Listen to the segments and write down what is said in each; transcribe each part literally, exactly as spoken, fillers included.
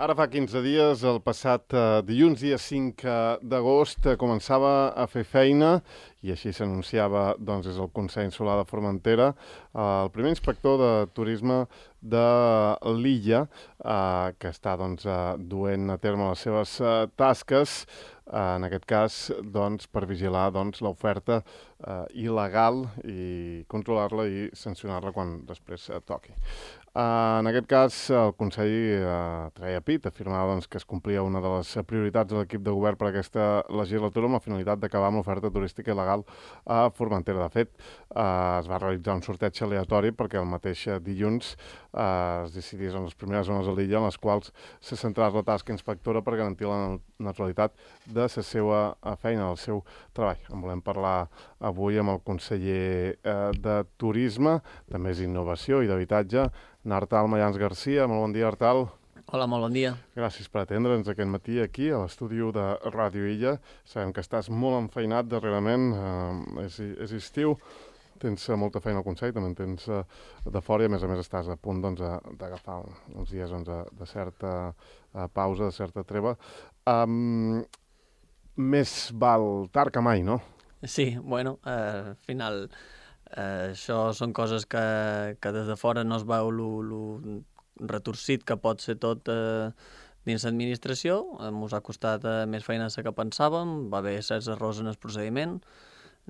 Ara fa quinze dies, el passat eh, dilluns, dia cinc d'agost, eh, començava a fer feina i així s'anunciava doncs, des del Consell Insular de Formentera eh, el primer inspector de turisme de l'illa eh, que està doncs, eh, duent a terme les seves eh, tasques, eh, en aquest cas doncs, per vigilar doncs, l'oferta eh, il·legal i controlar-la i sancionar-la quan després eh, toqui. Uh, en aquest cas, el Consell uh, treia pit, afirmava doncs, que es complia una de les prioritats de l'equip de govern per aquesta legislatura amb la finalitat d'acabar amb l'oferta turística il·legal a Formentera. De fet, uh, es va realitzar un sorteig aleatori perquè el mateix dilluns uh, es decidís en les primeres zones de l'illa en les quals se centrés la tasca inspectora per garantir la neutralitat de la seva feina, del seu treball. En volem parlar avui amb el conseller uh, de Turisme, també és Innovació i d'Habitatge, Artal Mayans Garcia. Molt bon dia, Artal. Hola, molt bon dia. Gràcies per atendre'ns aquest matí aquí a l'estudi de Ràdio Illa. Sabem que estàs molt enfeinat darrerament, eh, és, és estiu, tens molta feina al Consell, també en tens eh, de fora i a més a més estàs a punt doncs, d'agafar uns dies doncs, de certa eh, pausa, de certa treva. Um, més val tard que mai, no? Sí, bueno, eh, al final... Uh, això són coses que, que des de fora no es veu el retorcit que pot ser tot uh, dins l'administració. Ens uh, ha costat uh, més feina que pensàvem, va haver certs errors en el procediment.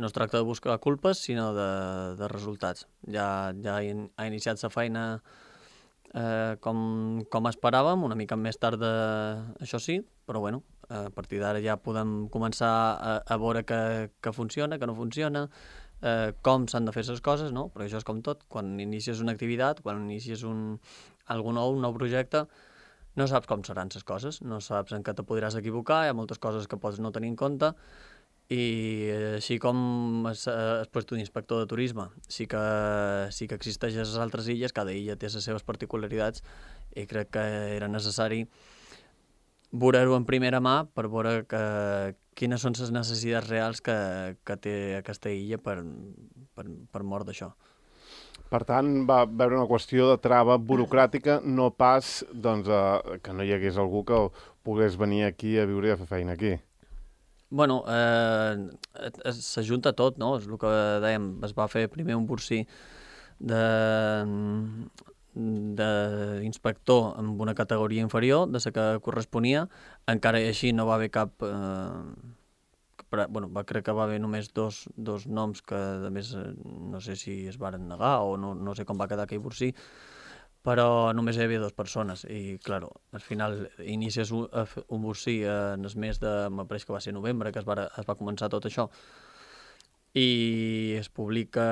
No es tracta de buscar culpes, sinó de, de resultats. Ja, ja in, ha iniciat la feina uh, com, com esperàvem, una mica més tard, uh, això sí, però bueno, uh, a partir d'ara ja podem començar a, a veure que, que funciona, que no funciona, Eh, com s'han de fer les coses, no? Perquè això és com tot. Quan inicies una activitat, quan inicies un, algun nou, un nou projecte, no saps com seran les coses, no saps en què te podràs equivocar, hi ha moltes coses que pots no tenir en compte, i així com el, el puesto d'inspector de turisme sí que, sí que existeix a les altres illes, cada illa té les seves particularitats, i crec que era necessari veure-ho en primera mà per veure que, quines són les necessitats reals que, que té aquesta illa per, per, per mort d'això. Per tant, va haver una qüestió de trava burocràtica, no pas doncs, eh, que no hi hagués algú que pogués venir aquí a viure i a fer feina aquí. Bueno, eh, s'ajunta tot, no? És el que dèiem, es va fer primer un burcí de... d'inspector amb una categoria inferior de la que corresponia, encara i així no va haver cap eh, però, bueno, va, crec que va haver només dos, dos noms que a més no sé si es varen negar o no, no sé com va quedar aquell burcí, però només hi havia dues persones i claro, al final inicies un, un burcí en el mes de, m'apareix que va ser novembre que es va, es va començar tot això, i es publica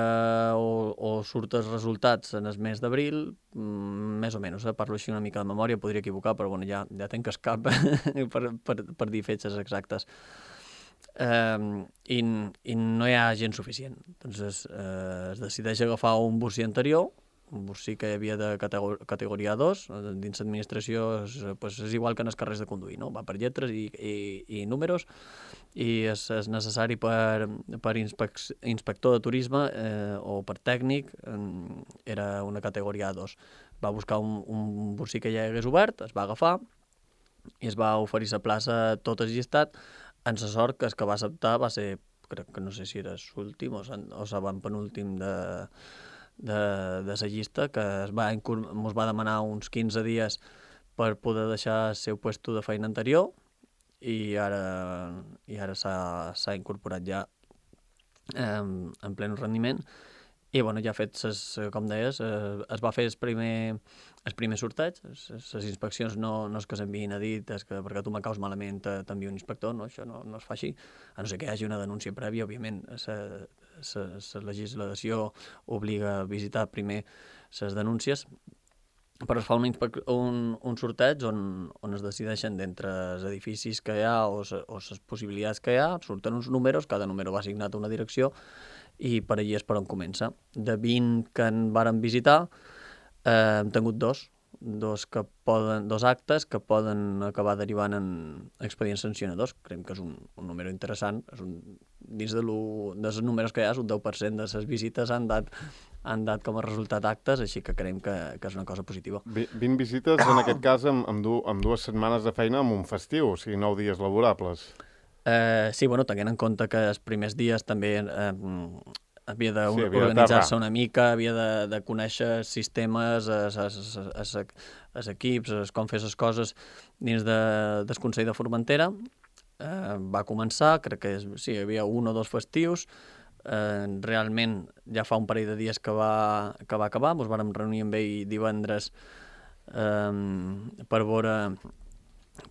o, o surt els resultats en el mes d'abril, mm, més o menys, eh? Parlo així una mica de memòria, podria equivocar, però bueno, ja, ja tenc el cap per, per, per dir fetges exactes. Um, i, i no hi ha gent suficient. Entonces, eh, es decideix agafar un burcí anterior, un burcí que hi havia de categor categoria dos, dins l'administració és, pues, és igual que en els carrers de conduir, no? Va per lletres i, i, i números, i és, és necessari per, per inspec inspector de turisme eh, o per tècnic, eh, era una categoria dos. Va buscar un, un burcí que ja hagués obert, es va agafar i es va oferir la plaça tot el llistat, en la sort que el que va acceptar va ser, crec que no sé si era l'últim o l'avantpenúltim de de, de la llista, que es va, ens va demanar uns quinze dies per poder deixar el seu puesto de feina anterior i ara, i ara s'ha incorporat ja eh, en ple rendiment i bueno, ja ha fet, ses, com deies, eh, es va fer el primer, el primer sorteig, les inspeccions no, no és que s'enviïn a dit, és que perquè tu m'acaus malament t'envia un inspector, no? Això no, no es fa així, a no ser que hi hagi una denúncia prèvia, òbviament, la legislació obliga a visitar primer les denúncies, però es fa un, un, un sorteig on, on es decideixen d'entre els edificis que hi ha o les possibilitats que hi ha, surten uns números, cada número va assignat a una direcció, i per allí és per on comença. De vint que en varen visitar, eh, hem tingut dos, dos, que poden, dos actes que poden acabar derivant en expedients sancionadors. Creiem que és un, un número interessant. És un, dins de dels números que hi ha, un deu per cent de les visites han dat han dat com a resultat actes, així que creiem que, que és una cosa positiva. vint visites, en aquest cas, amb, amb, du amb dues setmanes de feina amb un festiu, o sigui, nou dies laborables. Eh, sí, bueno, tenint en compte que els primers dies també eh, havia sí, d'organitzar-se una mica, havia de, de conèixer sistemes, els, els, els, els equips, els, com fer les coses dins de, del Consell de Formentera. Eh, va començar, crec que sí, hi havia un o dos festius, eh, realment ja fa un parell de dies que va, que va acabar, ens vàrem reunir amb ell divendres eh, per veure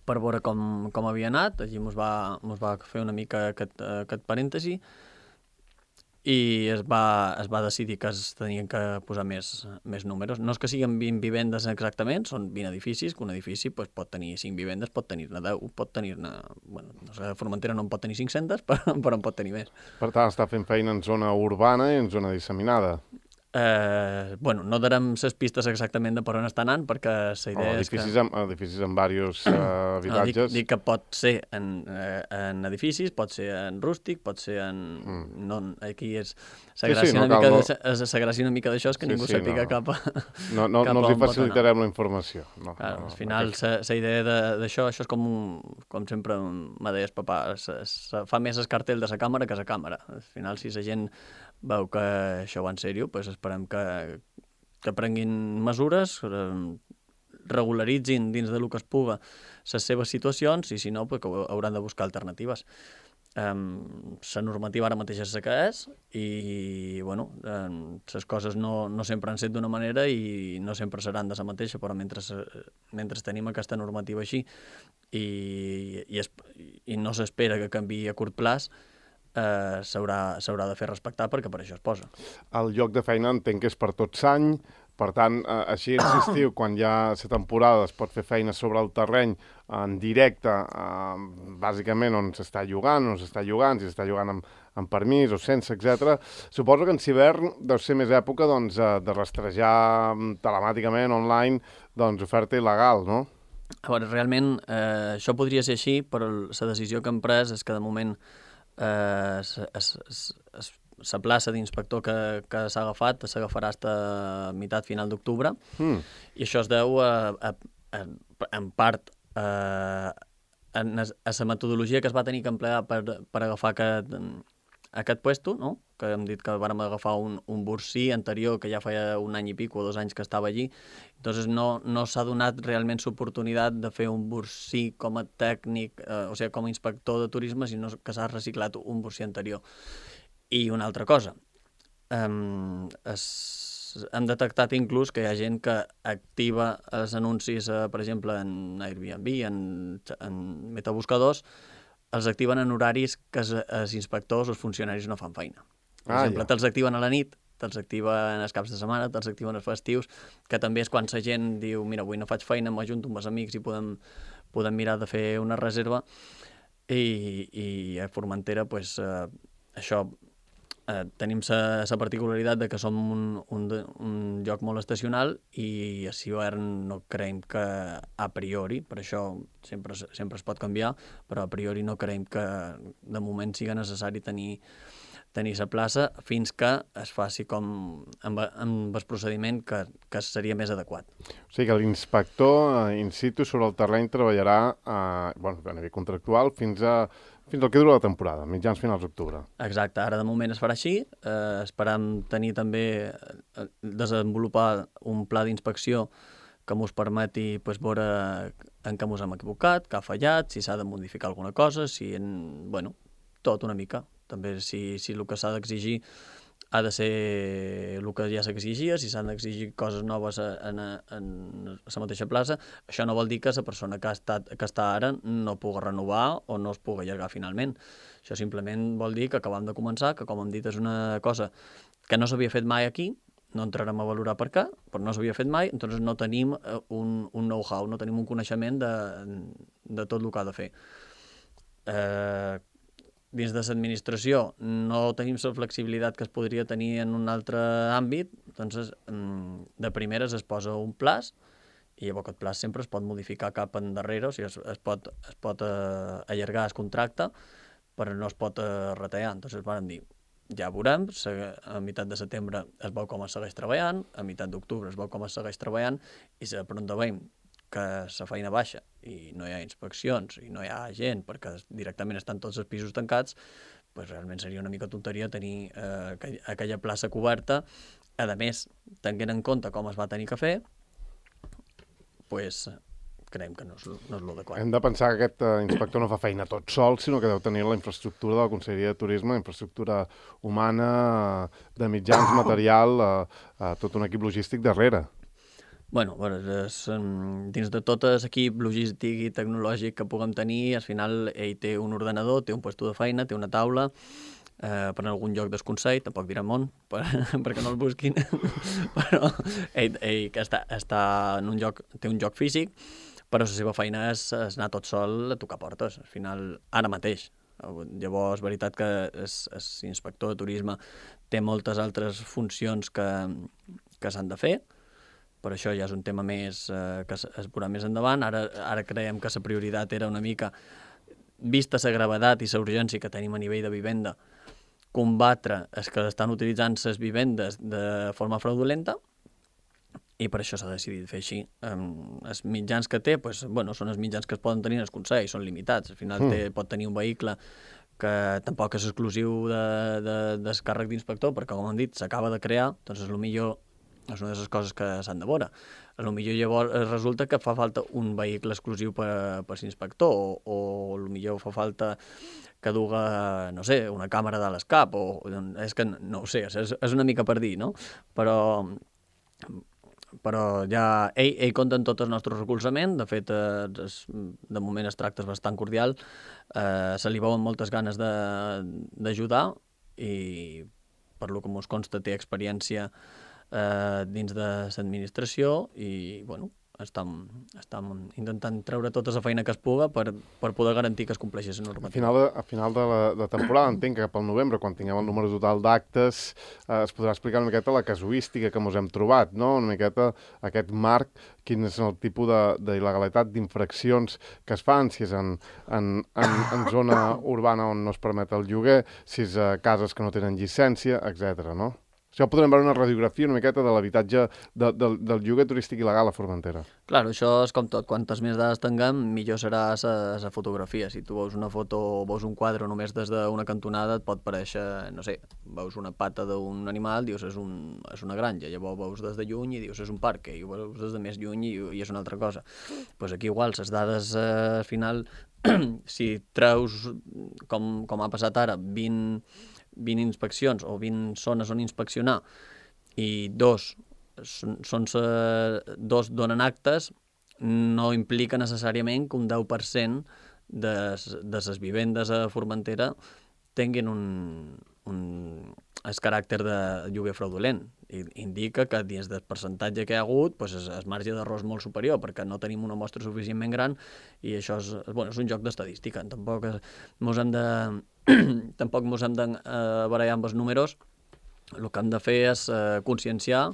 per veure com, com havia anat, allí ens va, mos va fer una mica aquest, aquest parèntesi i es va, es va decidir que es tenien que posar més, més números. No és que siguin vint vivendes exactament, són vint edificis, que un edifici pues, pot tenir cinc vivendes, pot tenir-ne deu, pot tenir-ne... Bueno, no sé, Formentera no en pot tenir cinc-centes, però, però en pot tenir més. Per tant, està fent feina en zona urbana i en zona disseminada. Eh, bueno, no darem les pistes exactament de per on està anant, perquè la idea oh, és que... Amb, edificis amb diversos uh, habitatges. No, dic, dic que pot ser en, eh, en edificis, pot ser en rústic, pot ser en... Mm. No, aquí és... La gràcia, sí, sí, no una, mica no... de, la gràcia una mica d'això és que sí, ningú sí, sàpiga no. cap a... No, no, cap no els hi facilitarem la informació. No, claro, no, al final, la idea d'això, això és com, un, com sempre me deies, papà, se, se fa més el cartell de la càmera que la càmera. Al final, si la gent veu que això va en sèrio, pues esperem que, que prenguin mesures, regularitzin dins de lo que es puga les seves situacions i si no, pues, que hauran de buscar alternatives. Um, la normativa ara mateix és la que és i bueno, um, les coses no, no sempre han set d'una manera i no sempre seran de la mateixa, però mentre, mentre tenim aquesta normativa així i, i, es, i no s'espera que canviï a curt plaç, eh, s'haurà de fer respectar perquè per això es posa. El lloc de feina entenc que és per tot l'any. Per tant, eh, així insistiu, quan hi ha la temporada es pot fer feina sobre el terreny en directe, eh, bàsicament on s'està llogant, on s'està llogant, si s'està llogant amb, amb permís o sense, etcètera. Suposo que en hivern deu ser més època doncs, de rastrejar telemàticament, online, doncs, oferta il·legal, no? A veure, realment eh, això podria ser així, però la decisió que hem pres és que de moment eh, es, es, es, es la plaça d'inspector que, que s'ha agafat s'agafarà fins a meitat final d'octubre mm. i això es deu a, a, a, en part a, a, a la metodologia que es va tenir que emplear per, per agafar aquest, aquest puesto, no? Que hem dit que vàrem agafar un, un bursí anterior que ja feia un any i pico o dos anys que estava allí, entonces no, no s'ha donat realment l'oportunitat de fer un bursí com a tècnic, eh, o sigui, com a inspector de turisme, sinó que s'ha reciclat un bursí anterior. I una altra cosa, um, es, hem detectat inclús que hi ha gent que activa els anuncis, eh, per exemple, en Airbnb, en, en metabuscadors, els activen en horaris que els, els inspectors o els funcionaris no fan feina. Per ah, exemple, ja. Te'ls activen a la nit, te'ls activen els caps de setmana, te'ls activen els festius, que també és quan la gent diu, mira, avui no faig feina, m'ajunto amb els amics i podem, podem mirar de fer una reserva. I, i a Formentera, pues, eh, això... Eh, tenim la particularitat de que som un, un, un lloc molt estacional i a l'hivern no creiem que a priori, per això sempre, sempre es pot canviar, però a priori no creiem que de moment siga necessari tenir, tenir la plaça fins que es faci com amb, amb el procediment que, que seria més adequat. O sigui que l'inspector eh, in situ sobre el terreny treballarà eh, bueno, a nivell contractual fins a Fins al que dura la temporada, mitjans finals d'octubre. Exacte, ara de moment es farà així. Eh, esperam tenir també, eh, desenvolupar un pla d'inspecció que ens permeti pues, veure en què ens hem equivocat, què ha fallat, si s'ha de modificar alguna cosa, si en... bueno, tot una mica. També si, si el que s'ha d'exigir ha de ser el que ja s'exigia, si s'han d'exigir coses noves en, en la mateixa plaça, això no vol dir que la persona que, ha estat, que està ara no pugui renovar o no es pugui allargar finalment. Això simplement vol dir que acabem de començar, que com hem dit és una cosa que no s'havia fet mai aquí, no entrarem a valorar per què, però no s'havia fet mai, doncs no tenim un, un know-how, no tenim un coneixement de, de tot el que ha de fer. Eh, dins de l'administració no tenim la flexibilitat que es podria tenir en un altre àmbit, doncs de primeres es posa un plaç i llavors aquest plaç sempre es pot modificar cap endarrere, o sigui, es, es pot, es pot eh, allargar el contracte, però no es pot eh, retallar. Entonces vam dir, ja veurem, a meitat de setembre es veu com es segueix treballant, a meitat d'octubre es veu com es segueix treballant, i si de pronto veiem que la feina baixa i no hi ha inspeccions i no hi ha gent perquè directament estan tots els pisos tancats, pues realment seria una mica tonteria tenir eh, aquella plaça coberta. A més, tenint en compte com es va tenir que fer, pues, creiem que no és, no és l'adequat. Hem de pensar que aquest uh, inspector no fa feina tot sol, sinó que deu tenir la infraestructura de la Conselleria de Turisme, infraestructura humana, de mitjans, material, uh, uh, tot un equip logístic darrere. Bueno, bueno és, dins de tot l'equip logístic i tecnològic que puguem tenir, al final ell té un ordenador, té un puesto de feina, té una taula, eh, per algun lloc del Consell, tampoc direm on, per, perquè no el busquin, però ell, ell que està, està en un lloc, té un lloc físic, però la seva feina és, és anar tot sol a tocar portes, al final, ara mateix. Llavors, és veritat que l'inspector de turisme té moltes altres funcions que, que s'han de fer, però això ja és un tema més eh, que es, es veurà més endavant. Ara, ara creiem que la prioritat era una mica, vista la gravetat i la urgència que tenim a nivell de vivenda, combatre els que estan utilitzant les vivendes de forma fraudulenta, i per això s'ha decidit fer així. Um, els mitjans que té, pues, bueno, són els mitjans que es poden tenir en el Consell, són limitats. Al final té, pot tenir un vehicle que tampoc és exclusiu de, de, del càrrec d'inspector, perquè, com hem dit, s'acaba de crear, doncs és el millor, és una de les coses que s'han de veure. A lo millor llavors resulta que fa falta un vehicle exclusiu per, per l'inspector, o, o a lo millor fa falta que duga, no sé, una càmera de l'escap, o és que no ho sé, és, és una mica per dir, no? Però... però ja ell, ell compta amb tot el nostre recolzament, de fet, eh, es, de moment es tracta bastant cordial, eh, se li veuen moltes ganes d'ajudar i per lo que mos consta té experiència eh, dins de l'administració i, bueno, estem, estem intentant treure tota la feina que es puga per, per poder garantir que es compleixi la normativa. A final de, a final de la de temporada, entenc que pel novembre, quan tinguem el número total d'actes, eh, es podrà explicar una miqueta la casuística que ens hem trobat, no? Una miqueta aquest marc, quin és el tipus d'il·legalitat, d'infraccions que es fan, si és en, en, en, en zona urbana on no es permet el lloguer, si és a cases que no tenen llicència, etcètera, no? Això podrem veure una radiografia una miqueta de l'habitatge de, de, del lloguer turístic il·legal a Formentera. Clar, això és com tot. Quantes més dades tinguem, millor serà la fotografia. Si tu veus una foto o veus un quadre només des d'una cantonada, et pot parèixer, no sé, veus una pata d'un animal, dius és, un, és una granja, llavors veus des de lluny i dius és un parc, i ho veus des de més lluny i, i és una altra cosa. Doncs pues aquí igual, les dades eh, al final, si treus, com, com ha passat ara, vint... vint inspeccions o vint zones on inspeccionar i dos, són, són, dos donen actes, no implica necessàriament que un deu per cent de, de les vivendes a Formentera tinguin un, un el caràcter de lloguer fraudulent. I indica que dins del percentatge que hi ha hagut pues és, és marge d'error és molt superior perquè no tenim una mostra suficientment gran i això és, bueno, és un joc d'estadística. Tampoc mos hem de tampoc ens hem de eh, barallar amb els números. El que hem de fer és eh, conscienciar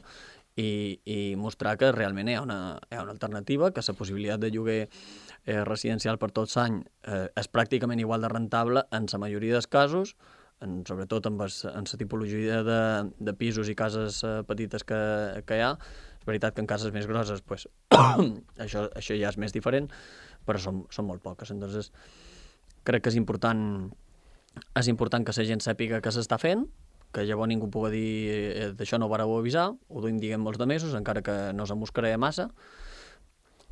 i, i mostrar que realment hi ha una, hi ha una alternativa, que la possibilitat de lloguer eh, residencial per tots l'any eh, és pràcticament igual de rentable en la majoria dels casos, en, sobretot en la tipologia de, de pisos i cases eh, petites que, que hi ha. És veritat que en cases més grosses pues, això, això ja és més diferent, però són, són molt poques. Entonces, crec que és important és important que la gent sàpiga què s'està fent, que llavors ningú pugui dir eh, d'això no ho vareu avisar, ho duim diguem molts de mesos, encara que no se mos crea massa.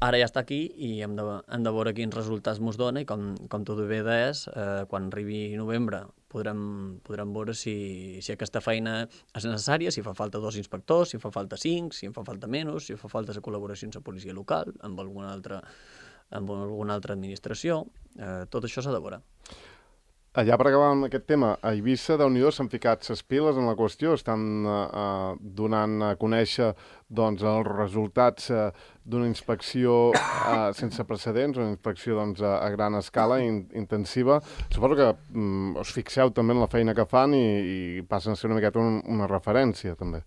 Ara ja està aquí i hem de, hem de veure quins resultats mos dona i com, com tot bé és, eh, quan arribi novembre podrem, podrem veure si, si aquesta feina és necessària, si fa falta dos inspectors, si fa falta cinc, si en fa falta menys, si fa falta la col·laboració amb la policia local, amb alguna altra, amb alguna altra administració, eh, tot això s'ha de veure. Allà per acabar amb aquest tema, a Eivissa, Déu-n'hi-do, s'han ficat ses piles en la qüestió, estan eh, donant a conèixer doncs, els resultats eh, d'una inspecció eh, sense precedents, una inspecció doncs, a, a gran escala, in, intensiva. Suposo que mm, us fixeu també en la feina que fan i, i passen a ser una miqueta un, una referència, també.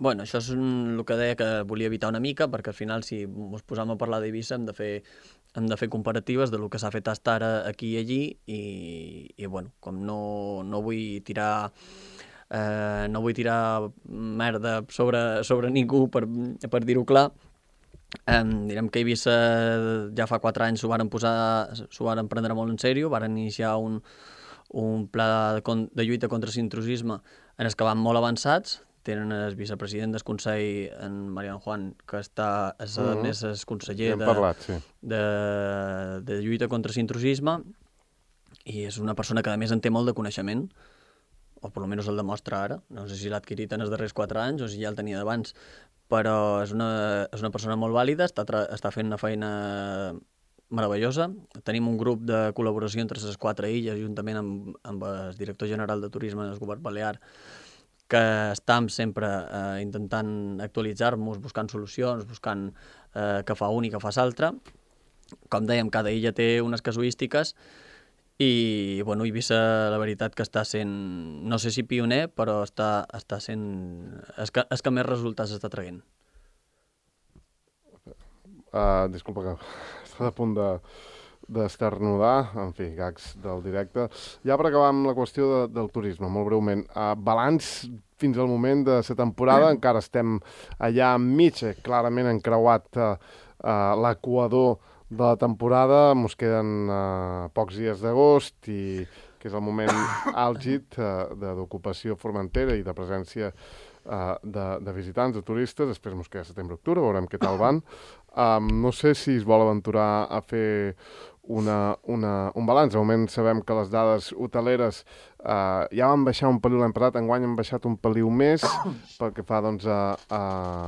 Bueno, això és el que deia que volia evitar una mica, perquè al final, si ens posam a parlar d'Eivissa, hem de fer hem de fer comparatives de lo que s'ha fet fins ara aquí i allí, i, i bueno, com no, no vull tirar eh, no vull tirar merda sobre, sobre ningú, per, per dir-ho clar, eh, direm que Eivissa ja fa quatre anys s'ho varen posar, s'ho varen prendre molt en sèrio, varen iniciar un, un pla de, de lluita contra l'intrusisme en els que van molt avançats. Tenen el vicepresident del Consell, en Mariano Juan, que està, és, a més és conseller de, parlat, sí. de, de lluita contra l'intrusisme, i és una persona que a més en té molt de coneixement, o per almenys el demostra ara. No sé si l'ha adquirit en els darrers quatre anys o si ja el tenia d'abans, però és una, és una persona molt vàlida, està, està fent una feina meravellosa. Tenim un grup de col·laboració entre les quatre illes, juntament amb, amb el director general de turisme del govern balear, que estem sempre eh, intentant actualitzar-nos, buscant solucions, buscant eh, què fa un i què fa l'altre. Com dèiem, cada illa té unes casuístiques i, bueno, Eivissa, la veritat que està sent, no sé si pioner, però està, està sent... És que, és que més resultats està traient. Uh, disculpa que està a punt de... d'esternudar, en fi, gags del directe. Ja per acabar amb la qüestió de, del turisme, molt breument. Uh, balanç fins al moment de la temporada, encara estem allà enmig, clarament encreuat uh, uh, l'equador de la temporada, ens queden uh, pocs dies d'agost, i que és el moment àlgid uh, d'ocupació Formentera i de presència uh, de, de visitants, de turistes. Després ens queda setembre-octubre, veurem què tal van. Um, no sé si es vol aventurar a fer una, una, un balanç. De moment sabem que les dades hoteleres uh, ja van baixar un peliu l'any passat, enguany han baixat un peliu més pel que fa doncs, a, a,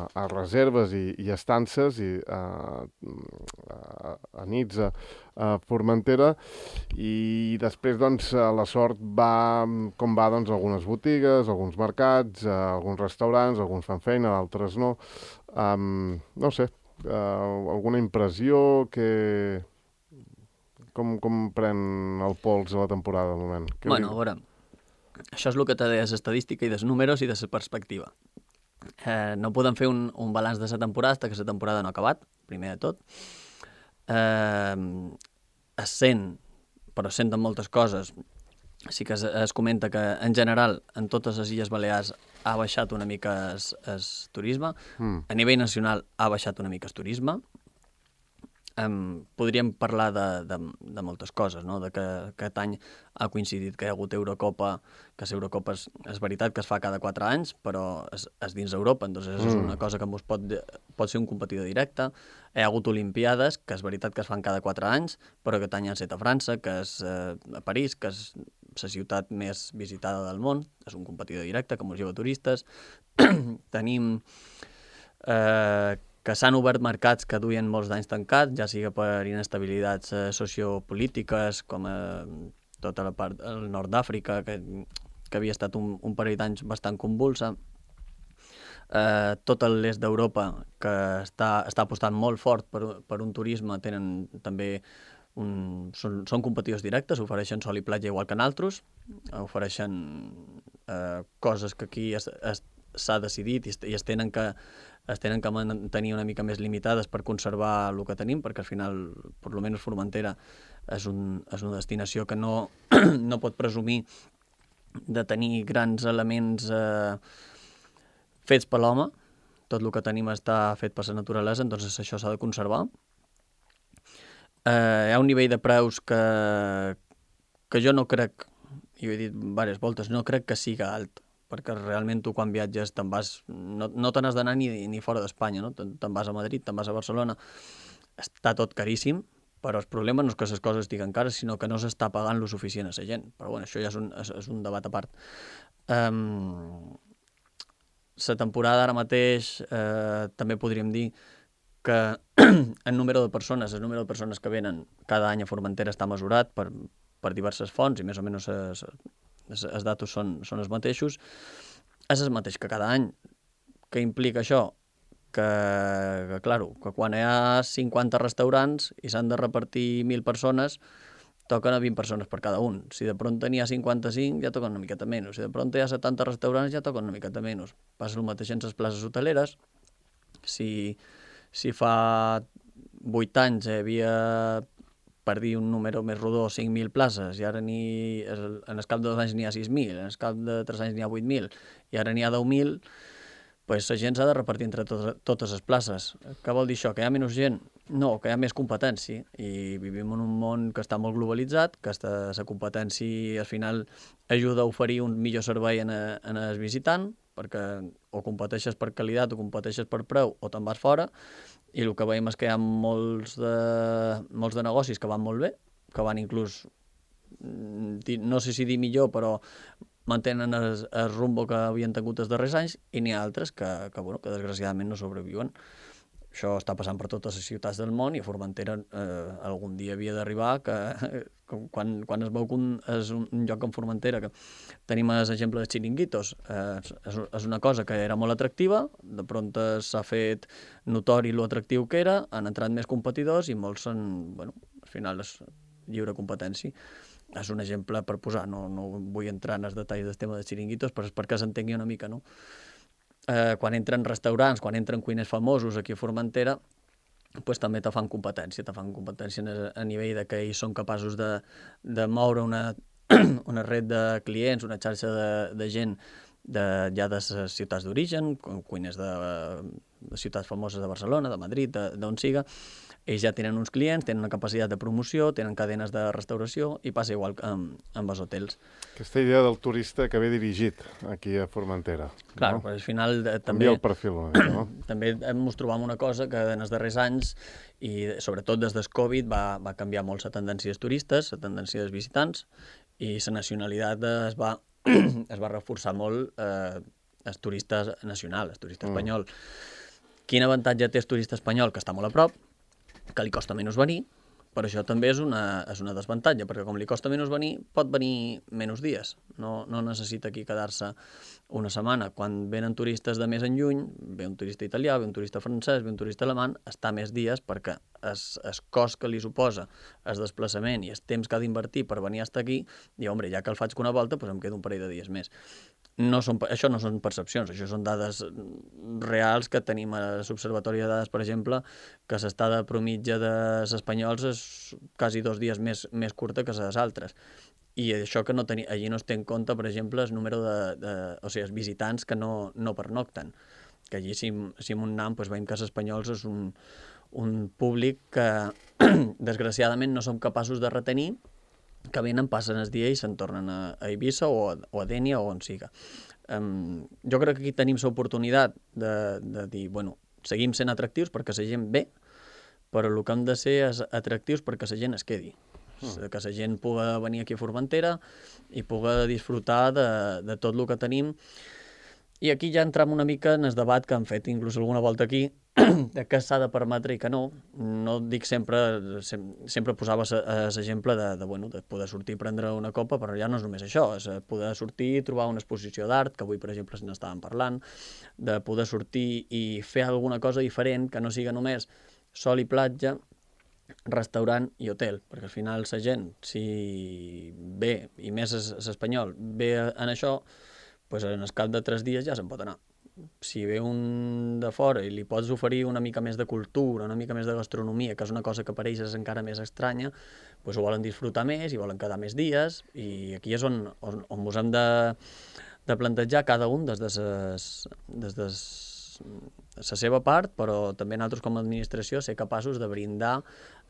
a reserves i, i estances i uh, a, a nits a, a Formentera, i després doncs, la sort va com va doncs, algunes botigues, alguns mercats, uh, alguns restaurants, alguns fan feina, d'altres no. Um, no sé, Uh, alguna impressió que... Com, com pren el pols de la temporada al moment? Que bueno, a veure, això és el que té de l'estadística i dels números i de la perspectiva. Eh, no podem fer un, un balanç de la temporada fins que la temporada no ha acabat, primer de tot. Eh, es sent, però es senten moltes coses. Sí que es, es comenta que, en general, en totes les Illes Balears ha baixat una mica el turisme. Mm. A nivell nacional ha baixat una mica el turisme. Um, podríem parlar de, de, de moltes coses, no? De que aquest any ha coincidit que hi ha hagut Eurocopa, que l'Eurocopa és, és veritat que es fa cada quatre anys, però és, és dins d'Europa, doncs és mm. una cosa que ens pot, pot ser un competidor directe. Hi ha hagut Olimpiades, que és veritat que es fan cada quatre anys, però aquest any han set a França, que és eh, a París, que és la ciutat més visitada del món, és un competidor directe que ens lleva turistes. Tenim eh, que s'han obert mercats que duien molts d'anys tancats, ja sigui per inestabilitats eh, sociopolítiques, com eh, tota la part del nord d'Àfrica, que, que havia estat un, un parell d'anys bastant convulsa. Eh, tot l'est d'Europa, que està, està apostant molt fort per, per un turisme, tenen també un, són, són competidors directes, ofereixen sol i platja igual que nosaltres, ofereixen eh, coses que aquí es, es, s'ha decidit i es, i es tenen que es tenen que mantenir una mica més limitades per conservar el que tenim, perquè al final, per almenys Formentera, és, un, és una destinació que no, no pot presumir de tenir grans elements eh, fets per l'home. Tot el que tenim està fet per la naturalesa, doncs això s'ha de conservar. Eh, hi ha un nivell de preus que, que jo no crec, i ho he dit diverses voltes, no crec que siga alt, perquè realment tu quan viatges te'n vas, no, no te n'has d'anar ni, ni fora d'Espanya, no? Te'n, te'n vas a Madrid, te'n vas a Barcelona, està tot caríssim, però el problema no és que les coses estiguen cares, sinó que no s'està pagant lo suficient a la gent. Però bueno, això ja és un, és, és un debat a part. Um, la temporada ara mateix eh, també podríem dir que el número de persones, el número de persones que venen cada any a Formentera està mesurat per, per diverses fonts i més o menys es, es, els datos són, són els mateixos. És el mateix que cada any. Què implica això? Que, que, claro, que quan hi ha cinquanta restaurants i s'han de repartir mil persones, toquen a vint persones per cada un. Si de pronto n'hi ha cinquanta-cinc, ja toquen una miqueta menys. Si de pronto hi ha setanta restaurants, ja toquen una miqueta menys. Passa el mateix en les places hoteleres. Si, si fa vuit anys hi havia, per dir un número més rodó, cinc mil places, i ara n'hi, en el cap de dos anys n'hi ha sis mil, en el cap de tres anys n'hi ha vuit mil, i ara n'hi ha deu mil, pues la gent s'ha de repartir entre tot, totes les places. Què vol dir això? Que hi ha menys gent? No, que hi ha més competència, i vivim en un món que està molt globalitzat, que la competència al final ajuda a oferir un millor servei en, a, en el visitant, perquè o competeixes per qualitat o competeixes per preu o te'n vas fora, i el que veiem és que hi ha molts de, molts de negocis que van molt bé, que van inclús, no sé si dir millor, però mantenen el, el rumbo que havien tingut els darrers anys, i n'hi ha altres que, que, bueno, que desgraciadament no sobreviuen. Això està passant per totes les ciutats del món, i a Formentera eh, algun dia havia d'arribar que, que quan, quan es veu que un, és un, un lloc en Formentera, que tenim l'exemple dels xiringuitos, eh, és, és una cosa que era molt atractiva, de pronto s'ha fet notori lo atractiu que era, han entrat més competidors i molts són, bueno, al final és lliure competència. És un exemple per posar, no, no vull entrar en els detalls del tema dels xiringuitos, però és perquè s'entengui una mica, no? Eh, quan entren restaurants, quan entren cuiners famosos aquí a Formentera, pues també te fan competència, te fan competència a nivell de que ells són capaços de, de moure una, una red de clients, una xarxa de, de gent de, ja de les ciutats d'origen, cuiners de, de ciutats famoses de Barcelona, de Madrid, d'on siga. Ells ja tenen uns clients, tenen una capacitat de promoció, tenen cadenes de restauració, i passa igual amb, amb els hotels. Aquesta idea del turista que ve dirigit aquí a Formentera. Clar, no? Però al final eh, també... Canvia el perfil una mica, no? També ens trobam una cosa que en els darrers anys, i sobretot des del Covid, va, va canviar molt la tendència dels turistes, la tendència dels visitants, i la nacionalitat es va, es va reforçar molt eh, el turista nacional, el turista espanyol. Mm. Quin avantatge té el turista espanyol? Que està molt a prop, que li costa menys venir, però això també és una, és una desavantatge, perquè com li costa menys venir, pot venir menys dies. No, no necessita aquí quedar-se una setmana. Quan venen turistes de més en lluny, ve un turista italià, ve un turista francès, ve un turista alemany, està més dies perquè el, el cost que li suposa el desplaçament i el temps que ha d'invertir per venir fins aquí, diu, home, ja que el faig una volta, doncs em quedo un parell de dies més. No són, això no són percepcions, això són dades reals que tenim a l'Observatori de Dades, per exemple, que l'estada promitja dels espanyols és quasi dos dies més, més curta que les altres. I això que no teni, allí no es té en compte, per exemple, el número de, de o sigui, els visitants que no, no pernocten. Que allí, si, si en un nam, doncs veiem que els espanyols és un, un públic que, desgraciadament, no som capaços de retenir, que venen, passen el dia i se'n tornen a, a Eivissa o a, o a Dénia o on siga. Um, jo crec que aquí tenim l'oportunitat de, de dir, bueno, seguim sent atractius perquè la gent ve, però el que hem de ser és atractius perquè la gent es quedi. Mm. Que la gent pugui venir aquí a Formentera i pugui disfrutar de, de tot el que tenim. I aquí ja entram una mica en el debat que han fet inclús alguna volta aquí, de què s'ha de permetre i què no. No dic sempre, sempre posava l'exemple de, de, bueno, de poder sortir i prendre una copa, però ja no és només això, és poder sortir i trobar una exposició d'art, que avui, per exemple, se n'estàvem parlant, de poder sortir i fer alguna cosa diferent, que no siga només sol i platja, restaurant i hotel, perquè al final la gent, si ve, i més l'espanyol, ve en això, doncs en el cap de tres dies ja se'n pot anar. Si ve un de fora i li pots oferir una mica més de cultura, una mica més de gastronomia, que és una cosa que per ells és encara més estranya, doncs ho volen disfrutar més i volen quedar més dies, i aquí és on, on, on ens hem de, de plantejar cada un des de, ses, des de la seva part, però també nosaltres com a administració ser capaços de brindar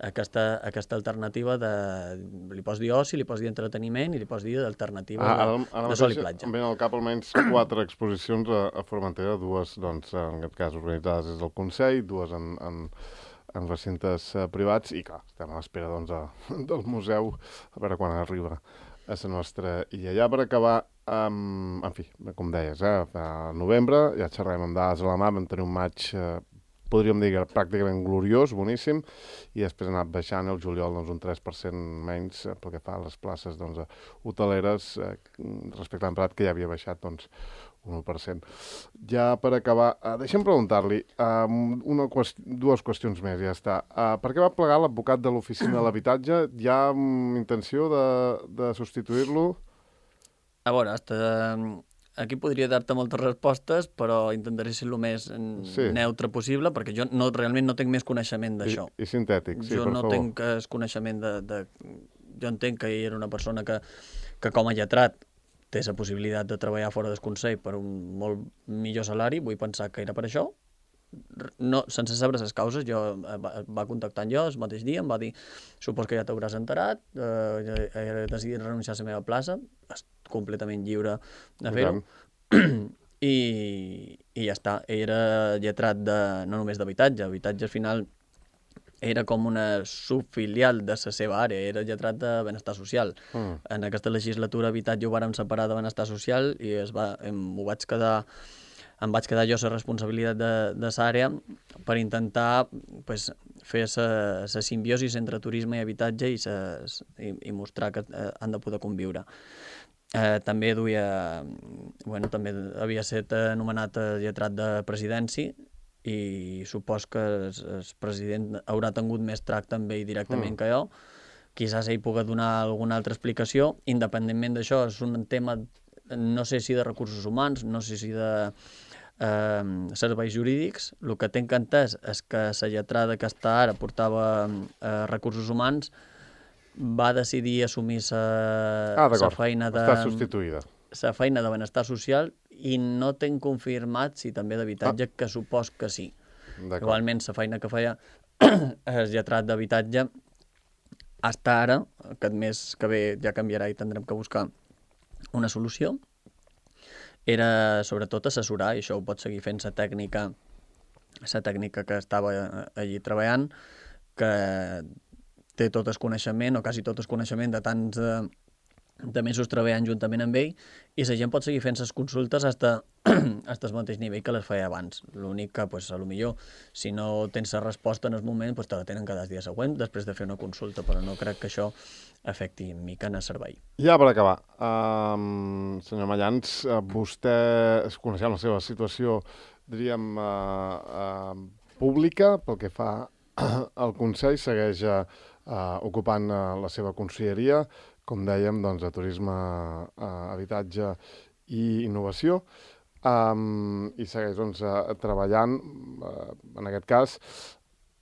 aquesta, aquesta alternativa de, li pots dir oci, li pots dir entreteniment i li pots dir d'alternativa ah, de, ara, de sol i platja. Em venen al cap almenys quatre exposicions a, a Formentera, dues, doncs, en aquest cas organitzades des del Consell, dues en, en, en recintes uh, privats, i clar, estem a l'espera doncs, a, del museu, a veure quan arriba a la nostra illa. Ja per acabar, um, en fi, com deies, eh, a novembre, ja xerrem amb dades a la mà, vam tenir un maig, eh, podríem dir, pràcticament gloriós, boníssim, i després ha anat baixant el juliol doncs, un tres per cent menys eh, pel que fa a les places doncs, hoteleres, eh, respecte a l'any passat, que ja havia baixat doncs, un u per cent. Ja per acabar, uh, deixa'm preguntar-li uh, una qüest dues qüestions més, ja està. Uh, per què va plegar l'advocat de l'Oficina de l'Habitatge? Hi ha um, intenció de, de substituir-lo? A veure, hasta aquí podria dar-te moltes respostes, però intentaré ser el més sí. neutre possible, perquè jo no, realment no tinc més coneixement d'això. I, I sintètic, sí, jo per no favor. tinc el coneixement de, de... Jo entenc que ell era una persona que, que com a lletrat té la possibilitat de treballar fora del Consell per un molt millor salari, vull pensar que era per això. No, sense saber les causes, jo va, va contactar jo el mateix dia, em va dir, supos que ja t'hauràs enterat, eh, he decidit renunciar a la meva plaça, és completament lliure de fer-ho, i, i ja està. Era lletrat de, no només d'habitatge, habitatge al final era com una subfilial de la seva àrea, era lletrat de benestar social. Mm. En aquesta legislatura habitatge ho vàrem separar de benestar social i es va, em, ho vaig quedar, em vaig quedar jo la responsabilitat de, de l'àrea per intentar pues, fer la simbiosi entre turisme i habitatge i, ses, i, i mostrar que eh, han de poder conviure. Eh, també duia, bueno, també havia estat anomenat lletrat de presidència i supos que el, el president haurà tingut més tracte amb ell directament mm. que jo. Quizás ell pugui donar alguna altra explicació. Independentment d'això, és un tema, no sé si de recursos humans, no sé si de eh, serveis jurídics. El que tinc entès és que la lletrada que està ara portava eh, recursos humans, va decidir assumir la ah, feina de... està substituïda. La feina de benestar social i no tinc confirmat si també d'habitatge, ah. que supos que sí. Igualment, la feina que feia el lletrat d'habitatge fins ara, aquest mes que ve ja canviarà i tindrem que buscar una solució, era sobretot assessorar, i això ho pot seguir fent la tècnica, la tècnica que estava allí treballant, que té tot el coneixement, o quasi tot el coneixement de tants de, de mesos treballant juntament amb ell, i la gent pot seguir fent les consultes fins al mateix nivell que les feia abans. L'únic que, pues, a lo millor, si no tens la resposta en el moment, pues, te la tenen cada dia següent després de fer una consulta, però no crec que això afecti mica en el servei. Ja per acabar, um, senyor Mallans, uh, vostè, coneixent la seva situació, diríem, uh, uh, pública, pel que fa al Consell, segueix uh, uh, ocupant uh, la seva conselleria, com dèiem, doncs, de turisme, uh, habitatge i innovació, um, i segueix doncs, uh, treballant, uh, en aquest cas,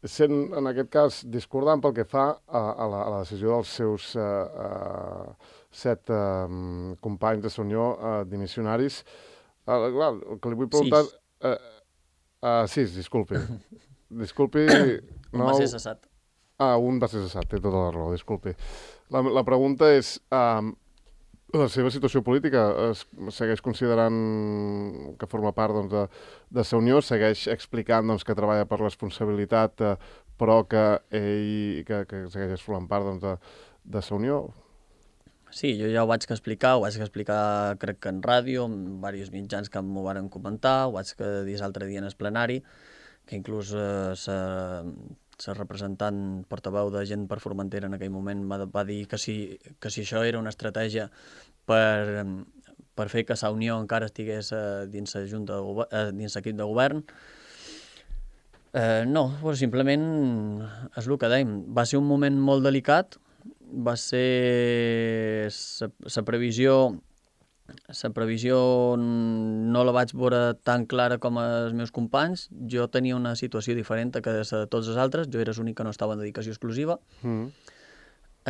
sent, en aquest cas, discordant pel que fa a, a, la, a la decisió dels seus uh, uh, set uh, companys de la Unió uh, dimissionaris. Uh, clar, el que li vull preguntar... Sis. Uh, uh, sis, disculpi. Disculpi... Un va ser cessat. Ah, un va ser cessat, té tota la raó, disculpi. La, la pregunta és, um, la seva situació política es segueix considerant que forma part doncs, de, de la Unió, segueix explicant doncs, que treballa per responsabilitat, eh, però que ell que, que segueix formant part doncs, de, de la Unió? Sí, jo ja ho vaig explicar, ho vaig explicar crec que en ràdio, en diversos mitjans que m'ho van comentar, ho vaig dir l'altre dia en el plenari, que inclús eh, la representant portaveu de Gent per Formentera en aquell moment va, va dir que si, que si això era una estratègia per, per fer que la Unió encara estigués eh, dins la junta de, eh, dins l'equip de govern. Eh, no, pues simplement és el que dèiem. Va ser un moment molt delicat, va ser la previsió la previsió no la vaig veure tan clara com els meus companys. Jo tenia una situació diferent que de tots els altres. Jo era l'únic que no estava en dedicació exclusiva. Mm.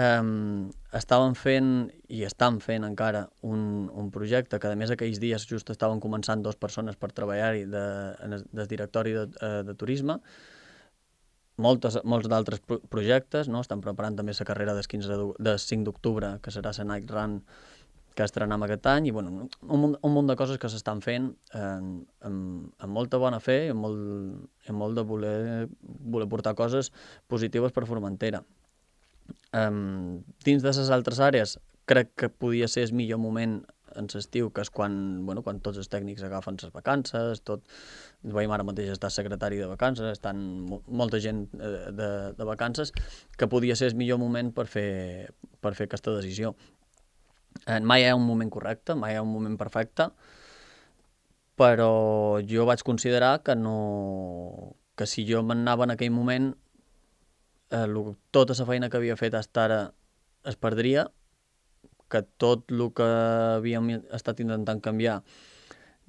Um, estaven fent, i estan fent encara, un, un projecte que, a més, aquells dies just estaven començant dues persones per treballar-hi de, del directori de, de turisme. Moltes, molts d'altres pro projectes, no? Estan preparant també la carrera del, quinze de, del cinc d'octubre, que serà la Night Run, que estrenem aquest any, i bueno, un, un munt de coses que s'estan fent eh, amb, amb molta bona fe i amb molt, amb molt de voler, voler portar coses positives per Formentera. Um, dins de les altres àrees, crec que podia ser el millor moment en l'estiu, que és quan, bueno, quan tots els tècnics agafen les vacances, tot, veiem ara mateix està secretari de vacances, estan molta gent de, de vacances, que podia ser el millor moment per fer, per fer aquesta decisió. Eh, mai hi ha un moment correcte, mai hi ha un moment perfecte. però jo vaig considerar que no... que si jo m'anava en aquell moment, eh, lo, tota la feina que havia fet fins ara es perdria, que tot el que havíem estat intentant canviar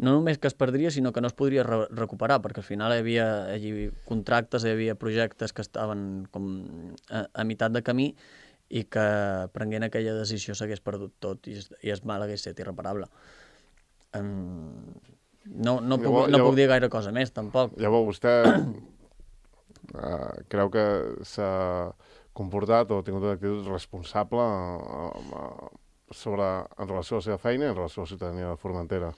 no només que es perdria, sinó que no es podria re recuperar, perquè al final hi havia allí contractes, hi havia projectes que estaven com a, a meitat de camí i que prenguent aquella decisió s'hagués perdut tot i, i el mal hagués estat irreparable. Um, no, no, puc, llavors, no puc dir gaire cosa més, tampoc. Llavors, vostè uh, creu que s'ha comportat o ha tingut una actitud responsable uh, sobre, en relació a la seva feina i en relació a la ciutadania de Formentera?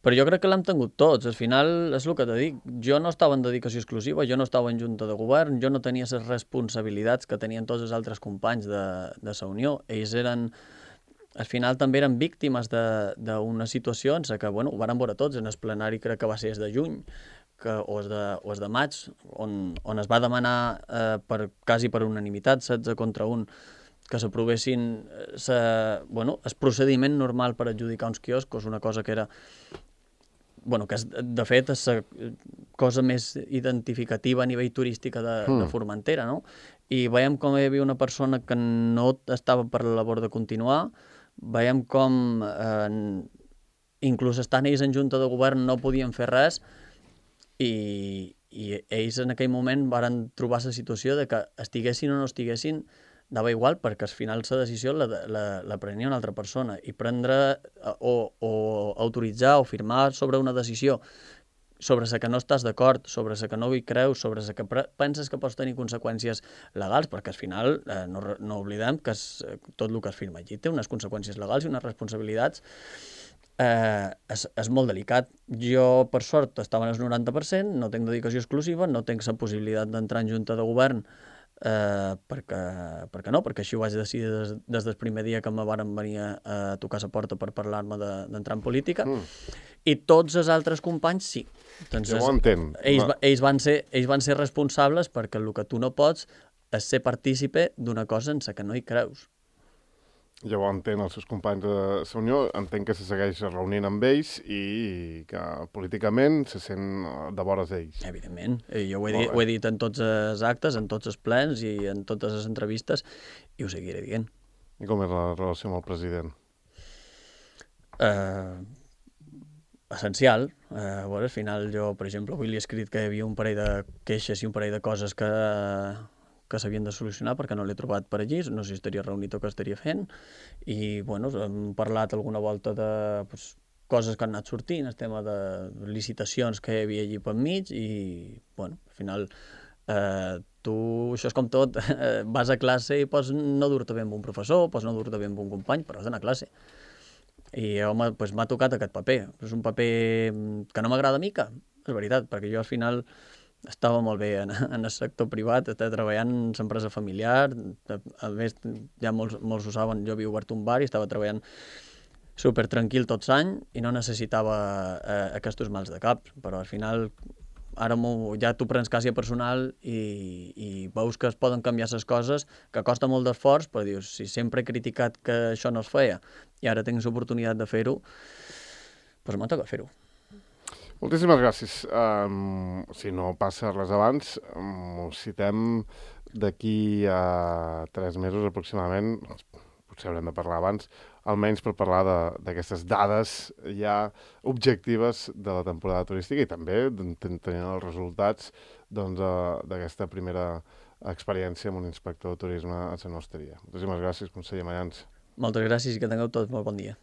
Però jo crec que l'hem tingut tots. Al final, és el que t'he dit, jo no estava en dedicació exclusiva, jo no estava en junta de govern, jo no tenia les responsabilitats que tenien tots els altres companys de, de la Unió. Ells eren, al final també eren víctimes d'una situació en què, bueno, ho van veure tots, en el plenari crec que va ser el de juny, que, o, el de, o el de maig, on, on es va demanar eh, per, quasi per unanimitat, setze contra un, que s'aprovessin bueno, el procediment normal per adjudicar uns quioscos, una cosa que era... bueno, que és, de fet és la cosa més identificativa a nivell turística de, mm. de Formentera, no? I veiem com hi havia una persona que no estava per la labor de continuar, veiem com eh, inclús estant ells en junta de govern no podien fer res i, i ells en aquell moment van trobar la situació de que estiguessin o no estiguessin dava igual, perquè al final la decisió la, la, la prenia una altra persona i prendre o, o autoritzar o firmar sobre una decisió sobre la que no estàs d'acord, sobre la que no hi creus, sobre la que penses que pots tenir conseqüències legals, perquè al final eh, no, no oblidem que es, tot el que es firma allí té unes conseqüències legals i unes responsabilitats. Eh, és, és molt delicat. Jo, per sort, estava en el noranta per cent, no tinc dedicació exclusiva, no tinc la possibilitat d'entrar en junta de govern Uh, perquè, perquè no, perquè així ho vaig decidir des, des del primer dia que me varen venir a, a tocar la porta per parlar-me d'entrar de, en política, mm. i tots els altres companys sí. Entonces, jo ho entenc. Ells, no. ells, van ser, ells van ser responsables perquè el que tu no pots és ser partícipe d'una cosa en la que no hi creus. Jo ho entenc els seus companys de la Unió, entenc que se segueix reunint amb ells i que políticament se sent de vores d'ells. Evidentment. Jo ho he, dit, ho he dit en tots els actes, en tots els plens i en totes les entrevistes i ho seguiré dient. I com és la relació amb el president? Uh, essencial. Uh, bueno, al final jo, per exemple, avui li he escrit que hi havia un parell de queixes i un parell de coses que... que s'havien de solucionar perquè no l'he trobat per allí, no sé si estaria reunit o què estaria fent, i bueno, hem parlat alguna volta de pues, coses que han anat sortint, el tema de licitacions que hi havia allí per mig, i bueno, al final eh, tu, això és com tot, eh, vas a classe i pots no dur-te bé amb un professor, pots no dur-te bé amb un company, però has d'anar a classe. I home, pues, m'ha tocat aquest paper. És un paper que no m'agrada mica, és veritat, perquè jo al final estava molt bé en, en el sector privat, estava treballant en l'empresa familiar, a més, ja molts, molts ho saben, jo havia obert un bar i estava treballant super tranquil tots l'any i no necessitava eh, aquests mals de cap, però al final ara ja t'ho prens quasi a personal i, i veus que es poden canviar les coses, que costa molt d'esforç, però dius, si sempre he criticat que això no es feia i ara tinc l'oportunitat de fer-ho, doncs m'ha tocat fer-ho. Moltíssimes gràcies. Um, si no passa res abans, um, us citem d'aquí a tres mesos aproximadament, potser haurem de parlar abans, almenys per parlar d'aquestes dades ja objectives de la temporada turística i també tenint els resultats d'aquesta doncs, primera experiència amb un inspector de turisme a la nostra. Moltíssimes gràcies, conseller Mayans. Moltes gràcies i que tingueu tots molt bon dia.